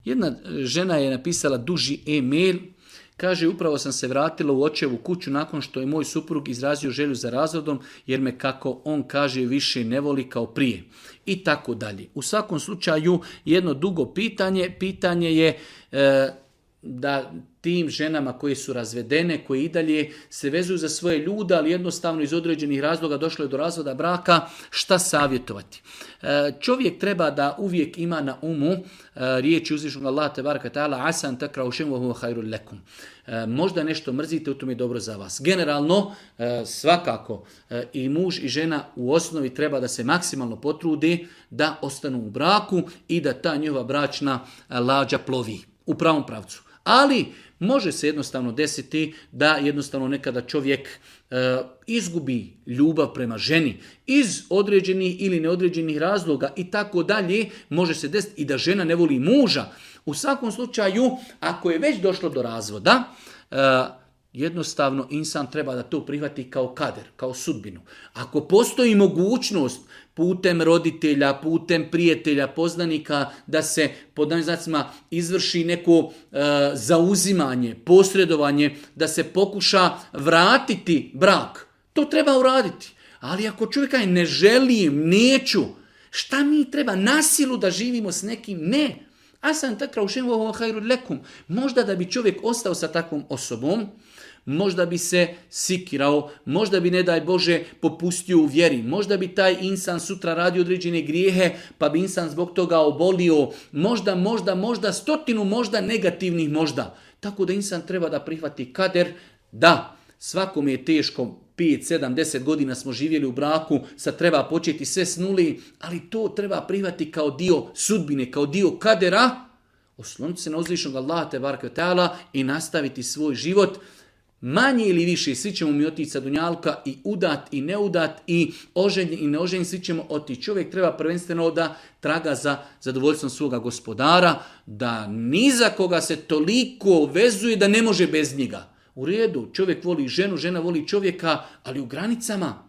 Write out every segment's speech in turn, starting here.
Jedna žena je napisala duži e-mail. Kaže, upravo sam se vratila u očevu kuću nakon što je moj suprug izrazio želju za razvodom, jer me, kako on kaže, više ne voli kao prije. I tako dalje. U svakom slučaju, jedno dugo pitanje je da tim ženama koje su razvedene, koje i dalje se vezuju za svoje ljude, ali jednostavno iz određenih razloga došlo je do razvoda braka, šta savjetovati? Čovjek treba da uvijek ima na umu riječi uzvišnog Allaha tebaraka ta'ala, asan takrau šej'an wa huwa khairul lakum. Možda nešto mrzite, u tome je dobro za vas. Generalno, svakako i muž i žena u osnovi treba da se maksimalno potrude da ostanu u braku i da ta njihova bračna lađa plovi u pravom pravcu. Ali može se jednostavno desiti da jednostavno nekada čovjek izgubi ljubav prema ženi iz određenih ili neodređenih razloga i tako dalje. Može se desiti i da žena ne voli muža. U svakom slučaju, ako je već došlo do razvoda, jednostavno insan treba da to prihvati kao kader, kao sudbinu. Ako postoji mogućnost putem roditelja, putem prijatelja, poznanika, da se pod ovim znacima izvrši neko zauzimanje, posredovanje, da se pokuša vratiti brak, to treba uraditi. Ali ako čovjek kaže ne želim, neću, šta mi treba na silu da živimo s nekim? Ne. Asan takrau šej'an wa huwa khairul lakum. Možda da bi čovjek ostao sa takvom osobom, možda bi se sikirao, možda bi, ne daj Bože, popustio u vjeri, možda bi taj insan sutra radio određene grijehe, pa bi insan zbog toga obolio, možda, stotinu možda negativnih možda. Tako da insan treba da prihvati kader, da, svakom je teško, 5, 7, 10 godina smo živjeli u braku, sad treba početi sve s nuli, ali to treba prihvati kao dio sudbine, kao dio kadera, osloniti se na uzvišnog Allaha tebaraka ve ta'ala i nastaviti svoj život. Manje ili više, svi ćemo mi otići sa dunjalka, i udat i neudat, i oženjen i neoženjen, svi ćemo otići. Čovjek treba prvenstveno da traga za zadovoljstvom svoga gospodara, da ni za koga se toliko vezuje da ne može bez njega. U redu, čovjek voli ženu, žena voli čovjeka, ali u granicama.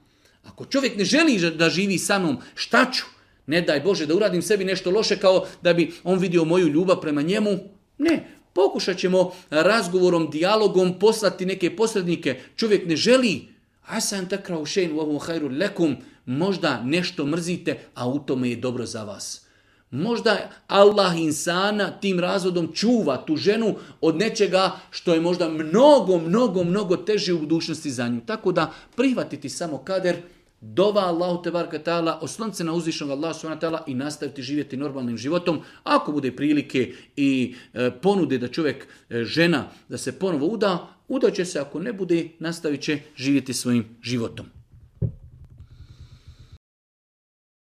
Ako čovjek ne želi da živi sa mnom, šta ću? Ne daj Bože da uradim sebi nešto loše kao da bi on vidio moju ljubav prema njemu. Ne, pokušat ćemo razgovorom, dijalogom poslati neke posrednike. Čovjek ne želi. Asan takrau šej'an wa huwa khairul lakum. Možda nešto mrzite, a u tome je dobro za vas. Možda Allah insana tim razvodom čuva tu ženu od nečega što je možda mnogo teže u budućnosti za nju. Tako da prihvatiti samo kader, dova Allahu tebaraka ta'ala, osloniti se na uzvišnog Allaha subhanahu wa ta'ala i nastaviti živjeti normalnim životom. Ako bude prilike i ponude da čovjek, žena, da se ponovo uda će se, ako ne bude, nastavit će živjeti svojim životom.